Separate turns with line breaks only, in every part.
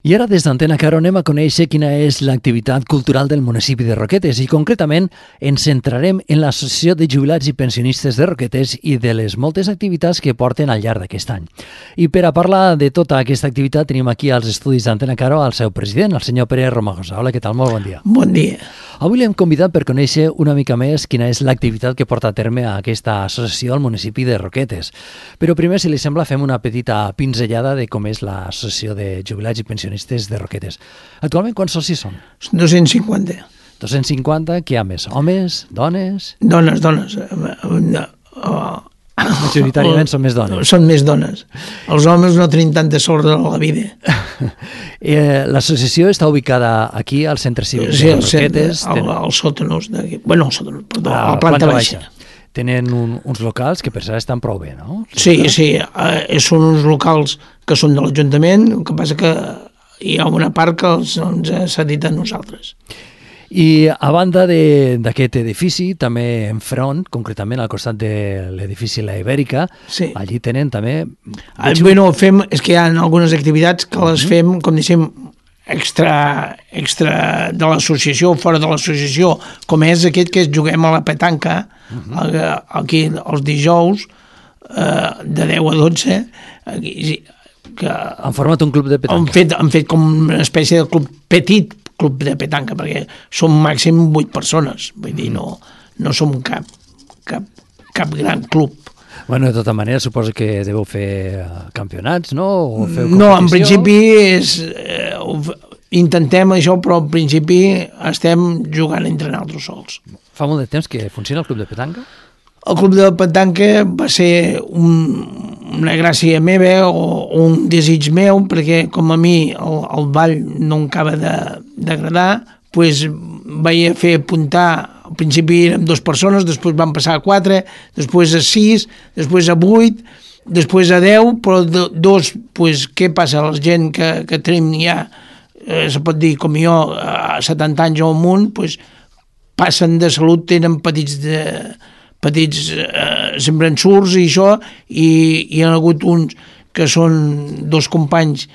I ara des d'Antena Caro anem a conèixer quina és l'activitat cultural del municipi de Roquetes i concretament ens centrarem en l'Associació de Jubilats i Pensionistes de Roquetes i de les moltes activitats que porten al llarg d'aquest any. I per a parlar de tota aquesta activitat tenim aquí als estudis d'Antena Caro el seu president, el senyor Pere Romagosa. Hola, què tal? Molt bon dia.
Bon dia.
Avui l'hem convidat per conèixer una mica més quina és l'activitat que porta a terme aquesta associació al municipi de Roquetes. Però primer, si li sembla, fem una petita pinzellada de com és l'Associació de Jubilats i Pensionistes de Roquetes. Actualment, quants socis són?
250.
250, què hi ha més? Homes? Dones?
Dones.
Majoritàriament són més dones.
Són més dones. Els homes no tenim tanta sort de la vida.
L'associació està ubicada aquí, al centre cívic de Roquetes.
Als sòtanos d'aquí. Bueno, al sòtanos, perdó, a la planta baixa.
Tenen uns locals que per cert estan prou bé, no?
Sí, són uns locals que són de l'Ajuntament, el que passa que hi ha una part que ens s'ha dit a nosaltres.
I a banda d'aquest edifici, també enfront, concretament al costat de l'edifici La Ibèrica,
sí.
Allí tenen també...
Bueno, és que hi ha algunes activitats que les fem, com diguem, extra de l'associació, fora de l'associació, com és aquest que juguem a la petanca, aquí els dijous, de 10 a 12, aquí, que
han format un club de petanca.
Han fet com una espècie de club de petanca, perquè som màxim 8 persones, vull dir, no som cap gran club.
Bueno, de tota manera, suposo que deveu fer campionats, no? O feu competició?
No, en principi intentem això, però en principi estem jugant entre nosaltres sols.
Fa molt de temps que funciona el club de petanca?
El club de petanca va ser una gràcia meva o un desig meu, perquè com a mi el ball no em acaba d'agradar, doncs vaig fer apuntar, al principi érem 2 persones, després van passar a 4, després a 6, després a 8, després a 10, però 2, doncs què passa? La gent que tenim ja, se pot dir com jo, a 70 anys o amunt, doncs passen de salut, tenen petits sembrançurs i això, i hi ha hagut uns que són 2 companys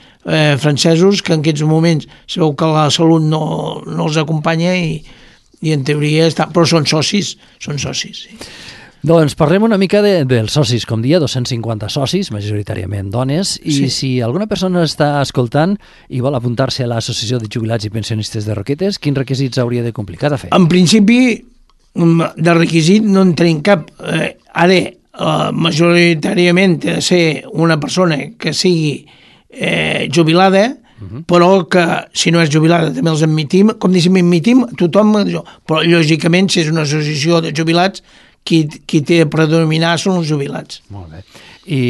francesos que en aquests moments sabeu que la salut no els acompanya i en teoria però són socis, sí.
Doncs parlem una mica dels socis, com dia, 250 socis, majoritàriament dones, i sí. Si alguna persona està escoltant i vol apuntar-se a l'Associació de Jubilats i Pensionistes de Roquetes, quins requisits hauria de complir? Què ha de fer?
En principi, de requisit no en tenim cap. Ara, majoritàriament ha de ser una persona que sigui jubilada, però que si no és jubilada també els admitim, com diguem, admitim tothom, però lògicament si és una associació de jubilats, qui té de predominar són els jubilats.
Molt bé. I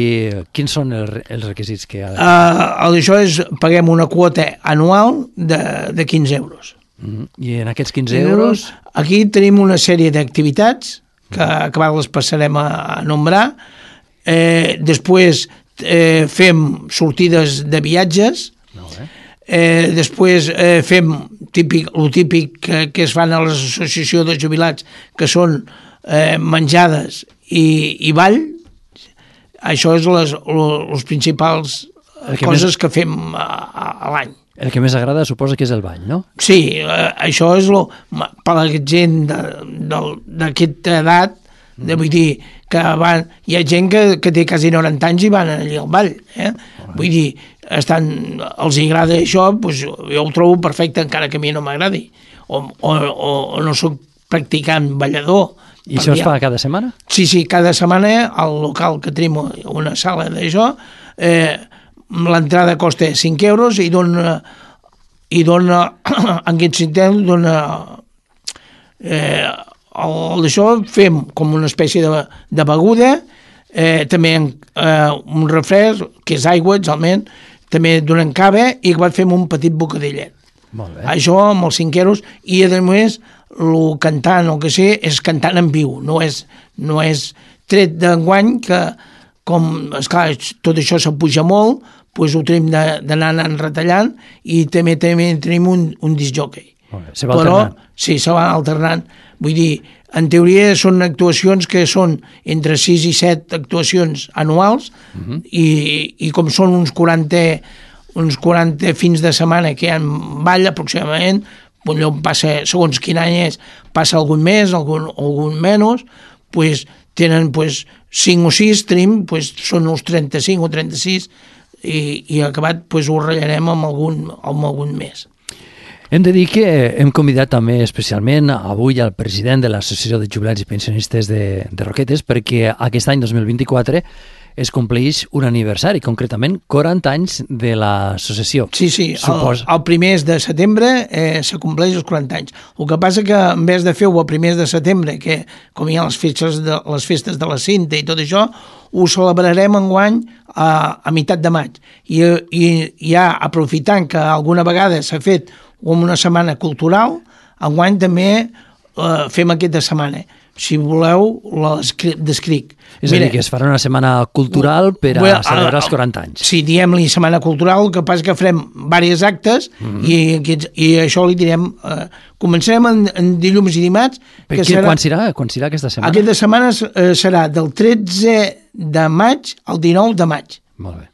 quins són els requisits que ha de fer?
Això paguem una quota anual de 15 euros.
I en aquests 15 euros...
Aquí tenim una sèrie d'activitats que les passarem a nombrar. Després fem sortides de viatges. Després fem el típic que es fan a l'associació de jubilats, que són menjades i ball. Això és les principals coses que fem a l'any.
El que més agrada suposa que és el ball, no?
Sí, això és per la gent d'aquesta edat, vull dir que hi ha gent que té quasi 90 anys i van allà al ball, vull dir, els agrada això, doncs jo ho trobo perfecte encara que a mi no m'agradi, o no soc practicant ballador.
I això es fa cada setmana?
Sí, cada setmana al local que tenim una sala d'això, l'entrada costa 5 euros i dona en aquest sistema d'això fem com una espècie de beguda, també un refresc, que és aigua, exactament, també donen cava i fem un petit bocadillet.
Molt bé.
Això amb els 5 euros i a més el cantant o que sé és cantant en viu, no és tret d'enguany que com esclar, tot això s'apuja molt, doncs ho tenim d'anar retallant i també tenim un discjòquei.
Se va alternant.
Sí, se va alternant. Vull dir, en teoria són actuacions que són entre 6 i 7 actuacions anuals i com són uns 40 uns 40 fins de setmana que hi ha ball aproximadament, allò passa, segons quin any és, passa algun més, algun menys, pues, tenen pues, 5 o 6, tenim, pues, són uns 35 o 36 i acabat pues, ho ratllarem amb algun més.
Hem de dir que hem convidat també especialment avui al president de l'Associació de Jubilats i Pensionistes de Roquetes perquè aquest any 2024 es compleix un aniversari, concretament 40 anys de l'associació.
Sí, el primer de setembre se compleix els 40 anys. El que passa que en vez de fer-ho el primer de setembre, que com hi ha les festes de la Cinta i tot això, ho celebrarem enguany a meitat de maig. I ja aprofitant que alguna vegada s'ha fet una setmana cultural, enguany també fem aquesta setmana. Si voleu, descric.
És a dir, que es farà una setmana cultural per a celebrar els 40 anys.
Sí, diem-li setmana cultural, el que passa que farem diversos actes i això li direm... Començarem en dilluns i dimarts.
Quan serà aquesta setmana?
Aquesta setmana serà del 13 de maig al 19 de maig.
Molt bé.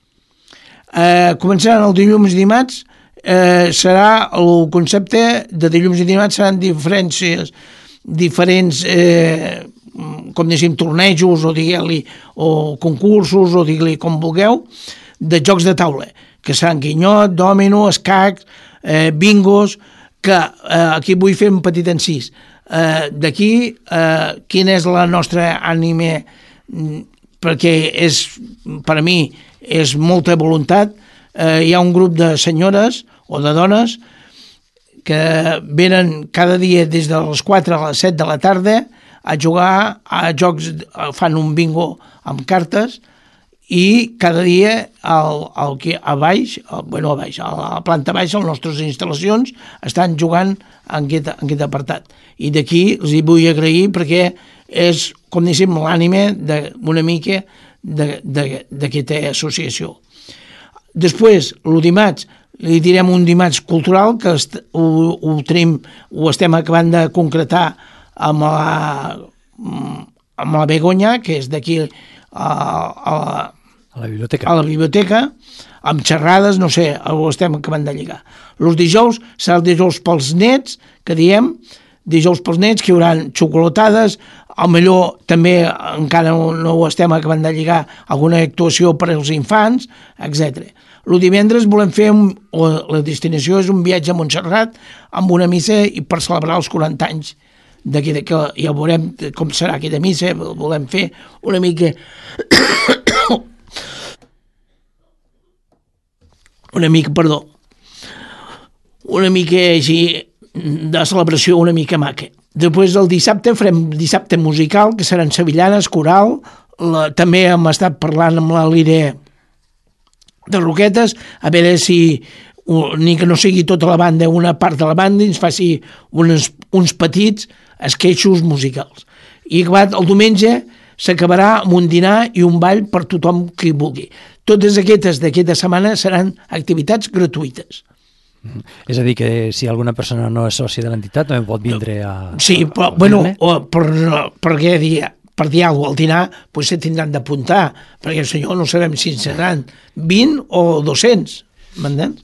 Començaran el dilluns i dimarts, serà el concepte de dilluns i dimarts seran diferents com diguem tornejos o concursos o digue-li com vulgueu de jocs de taula que seran guinyot, dòmino, escacs, bingos, que aquí vull fer un petit encís d'aquí quina és la nostra ànima perquè per a mi és molta voluntat. Hi ha un grup de senyores o de dones que venen cada dia des de les 4 a les 7 de la tarda a jugar a jocs, fan un bingo amb cartes i cada dia a la planta baixa, a les nostres instal·lacions, estan jugant en aquest apartat. I d'aquí els hi vull agrair perquè és, com diguem, l'ànima una mica d'aquesta associació. Després, el dimarts, li direm un dimarts cultural que ho estem acabant de concretar amb la Begoña, que és d'aquí a la biblioteca, amb xerrades, no sé, ho estem acabant de lligar. Els dijous serà el dijous pels nets, que diem, dijous pels nets, que hi haurà xocolatades, millor també encara no ho estem acabant de lligar, alguna actuació per als infants, etc. El divendres volem fer, la destinació és un viatge a Montserrat amb una missa i per celebrar els 40 anys que ja veurem com serà aquella missa, volem fer una mica una mica així de celebració una mica maca. Després el dissabte farem dissabte musical, que seran sevillanes, coral, també hem estat parlant amb la Lire de Roquetes, a veure si ni que no sigui tota la banda, una part de la banda ens faci uns petits esqueixos musicals. I acabat el diumenge s'acabarà amb un dinar i un ball per tothom que hi vulgui. Totes aquestes d'aquesta setmana seran activitats gratuïtes.
És a dir, que si alguna persona no és sòcia de l'entitat també pot vindre a...
Sí, però, per dir alguna cosa al dinar, doncs se tindran d'apuntar, perquè el senyor no sabem si seran 20 o 200, m'entens?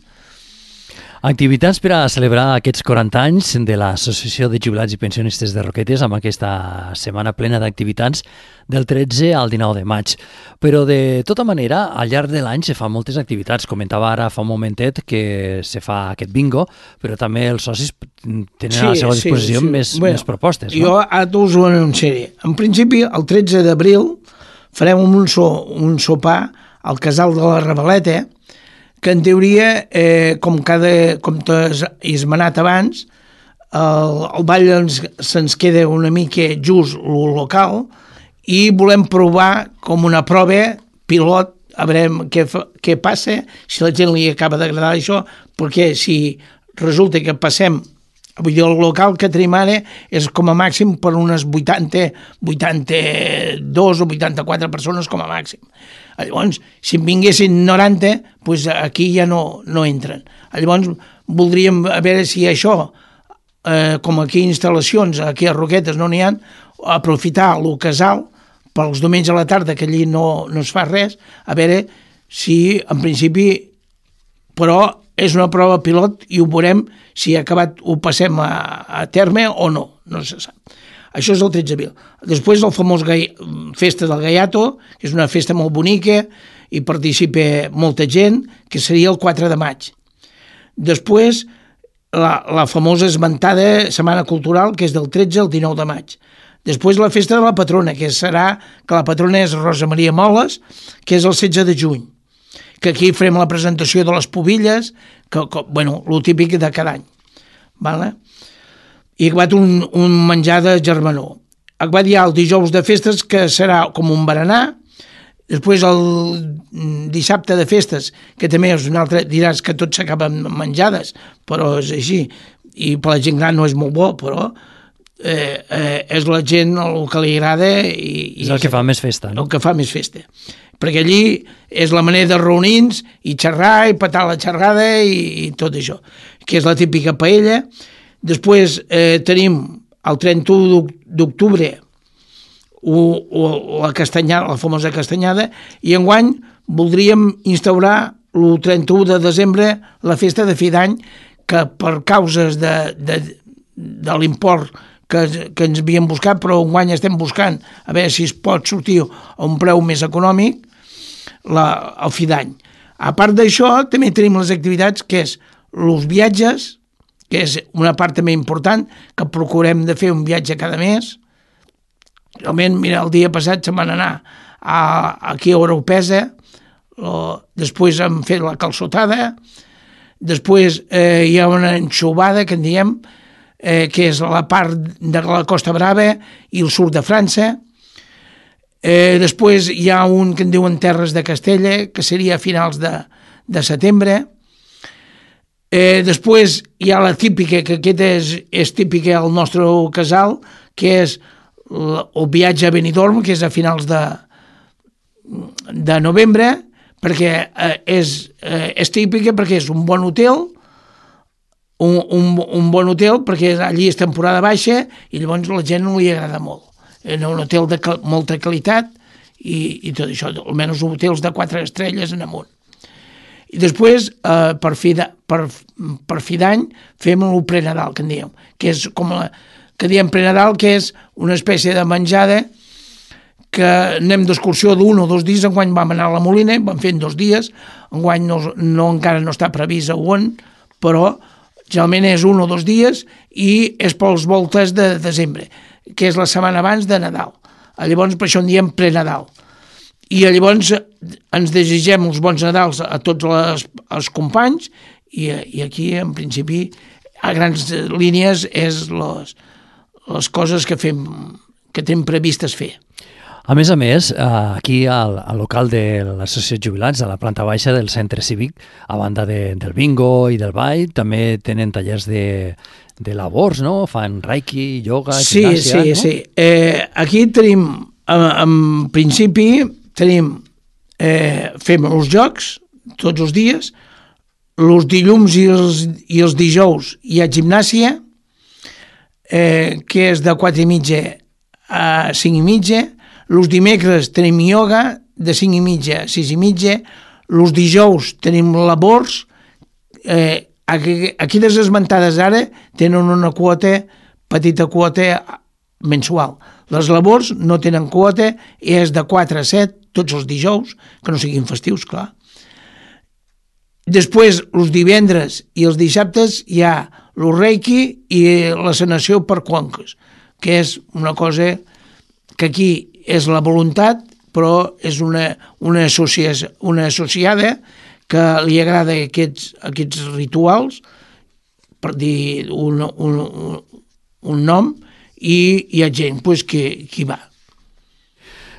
Activitats per a celebrar aquests 40 anys de l'Associació de Jubilats i Pensionistes de Roquetes amb aquesta setmana plena d'activitats del 13 al 19 de maig. Però de tota manera, al llarg de l'any se fan moltes activitats. Comentava ara fa un momentet que se fa aquest bingo, però també els socis tenen a la seva disposició més propostes.
Jo ara us ho anunciaré. En principi, el 13 d'abril farem un sopar al Casal de la Reveleta, que en teoria, com t'has esmenat abans, el ball se'ns queda una mica just el local i volem provar com una prova pilot, a veure què passa, si la gent li acaba d'agradar això, perquè si resulta que passem, vull dir, el local que tenim ara és com a màxim per unes 82 o 84 persones com a màxim. Llavors, si en vinguessin 90, doncs aquí ja no entren. Llavors, voldríem veure si això, com aquí instal·lacions, aquí a Roquetes no n'hi ha, aprofitar el casal pels diumenges a la tarda, que allí no es fa res, a veure si, en principi, però és una prova pilot i ho veurem si acabat ho passem a terme o no, no se sap. Això és el 13 d'abril. Després el famós Festa del Gaiato, que és una festa molt bonica i participa molta gent, que seria el 4 de maig. Després la famosa esmentada Setmana Cultural, que és del 13 al 19 de maig. Després la festa de la patrona, que la patrona és Rosa Maria Moles, que és el 16 de juny, que aquí farem la presentació de les pobilles, bueno, el típic de cada any. Vale? I acabat un menjar de germanor. Acabat ja el dijous de festes, que serà com un berenar. Després el dissabte de festes, que també és un altre, diràs que tots s'acaben menjades, però és així, i per la gent gran no és molt bo, però és la gent el que li agrada i
és el que fa més festa, no?
El que fa més festa, perquè allí és la manera de reunir-nos i xerrar i petar la xerrada i tot això, que és la típica paella. Després tenim el 31 d'octubre la castanyada, la famosa castanyada, i enguany voldríem instaurar el 31 de desembre la festa de fi d'any, que per causes de l'import que ens havíem buscat, però enguany estem buscant a veure si es pot sortir a un preu més econòmic el fi d'any. A part d'això, també tenim les activitats, que és els viatges, que és una part també important, que procurem de fer un viatge cada mes. Realment, mira, el dia passat se'n van anar aquí a Oropesa, després hem fet la calçotada, després hi ha una enxubada, que en diem, que és la part de la Costa Brava i el sud de França. Després hi ha un que en diuen Terres de Castella, que seria a finals de setembre. Després hi ha la típica, que aquesta és típica al nostre casal, que és el viatge a Benidorm, que és a finals de novembre, perquè és típica, perquè és un bon hotel, un bon hotel, perquè allí és temporada baixa i llavors la gent no li agrada molt. És un hotel de molta qualitat i tot això, almenys hotels de 4 estrelles en amunt. I després, per fi d'any, fem el prenadal, que en diem, que és com que diem prenadal, que és una espècie de menjada que anem d'excursió d'1 o 2 dies. Enguany vam anar a la Molina, vam fer en 2 dies, enguany encara no està previst a on, però generalment és 1 o 2 dies i és pels voltes de desembre, que és la setmana abans de Nadal. Llavors, per això en diem prenadal. I llavors ens desitgem els bons Nadals a tots els companys i aquí, en principi, a grans línies, és les coses que tenim previstes fer.
A més, aquí al local de l'Associació de Jubilats, a la planta baixa del centre cívic, a banda del bingo i del ball, també tenen tallers de labors, no? Fan reiki, yoga, gimnàsia, no?
Sí. Aquí tenim, en principi, fem els jocs tots els dies, els dilluns i els dijous hi ha gimnàsia, que és de 4:30 a 5:30. Els dimecres tenim ioga de 5:30 a 6:30. Els dijous tenim labors. Aquí les esmentades ara tenen una petita quota mensual. Les labors no tenen quota i és de 4 a 7 tots els dijous, que no siguin festius, clar. Després, els divendres i els dissabtes hi ha el reiki i la sanació per conques, que és una cosa que aquí és la voluntat, però és una associada que li agrada aquests rituals, per dir un nom, i hi ha gent que hi va.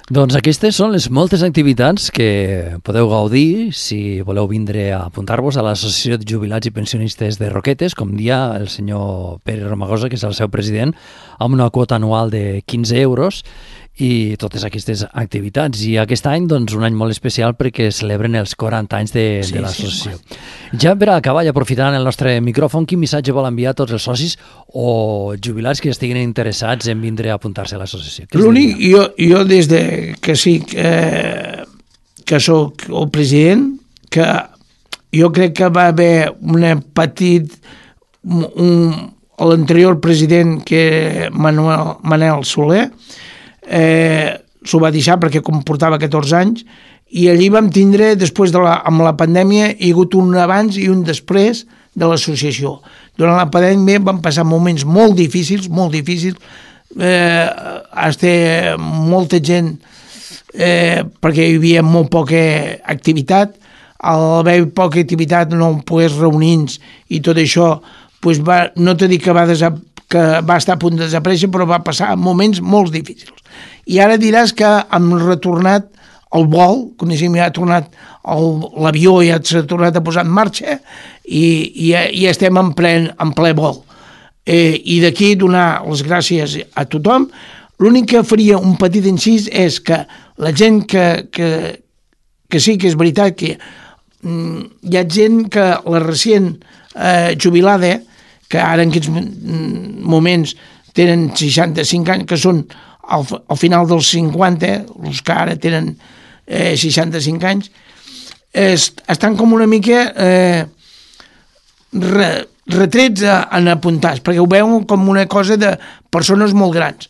Doncs aquestes són les moltes activitats que podeu gaudir si voleu vindre a apuntar-vos a l'Associació de Jubilats i Pensionistes de Roquetes, com dia el senyor Pere Romagosa, que és el seu president, amb una quota anual de 15 euros i totes aquestes activitats. I aquest any, doncs, un any molt especial perquè celebren els 40 anys de l'associació. Ja per acabar i aprofitant el nostre micròfon, quin missatge vol enviar a tots els socis o jubilats que estiguin interessats en vindre a apuntar-se a l'associació?
L'únic, jo des de que sí que soc el president, que jo crec que va haver l'anterior president, que Manel Soler, s'ho va deixar perquè com portava 14 anys, i allí vam tindre, després amb la pandèmia, hi ha hagut un abans i un després de l'associació. Durant la pandèmia vam passar moments molt difícils, molta gent, perquè hi havia molt poca activitat. Al haver poca activitat, no pogués reunir-nos i tot això, pues no t'he dit que va estar a punt de desaparèixer, però va passar moments molt difícils. I ara diràs que hem retornat el vol, coneixem, ja ha tornat l'avió, ja s'ha tornat a posar en marxa i estem en ple vol. I d'aquí donar les gràcies a tothom. L'únic que faria un petit incís és que la gent que sí que és veritat que hi ha gent que la recient jubilada, que ara en aquests moments tenen 65 anys, que són al final dels 50, els que ara tenen 65 anys, estan com una mica retrets en apuntats, perquè ho veuen com una cosa de persones molt grans.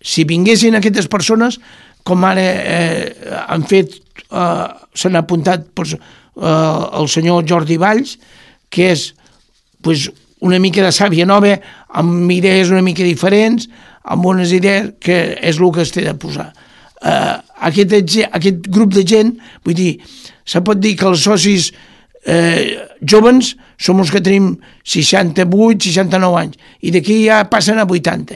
Si vinguessin aquestes persones, com ara han fet, s'han apuntat el senyor Jordi Valls, que és una mica de sàvia nova, amb idees una mica diferents, amb unes idees que és el que es té de posar. Aquest grup de gent, vull dir, se pot dir que els socis jóvens som els que tenim 68, 69 anys, i d'aquí ja passen a 80.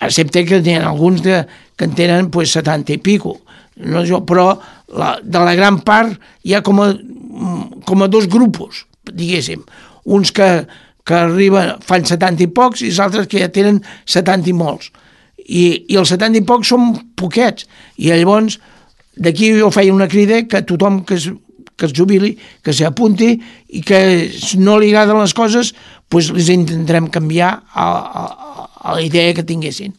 Excepte que n'hi ha alguns que en tenen 70 i pico. No, però de la gran part hi ha com a dos grupos, diguéssim. Uns que arriben, fan 70 i pocs, i els altres que ja tenen 70 i molts. I els 70 i pocs són poquets. I llavors, d'aquí jo feia una crida que tothom que es jubili, que s'apunti, i que si no li agraden les coses, doncs les intentarem canviar a la idea que tinguessin.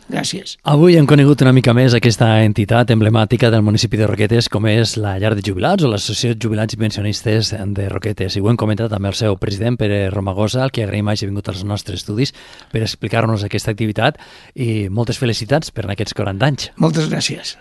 Gràcies.
Avui hem conegut una mica més aquesta entitat emblemàtica del municipi de Roquetes, com és la Llar de Jubilats o l'Associació de Jubilats i Pensionistes de Roquetes. I ho hem comentat amb el seu president, Pere Romagosa, al que agraïm hagi vingut als nostres estudis per explicar-nos aquesta activitat, i moltes felicitats per aquests 40 anys.
Moltes gràcies.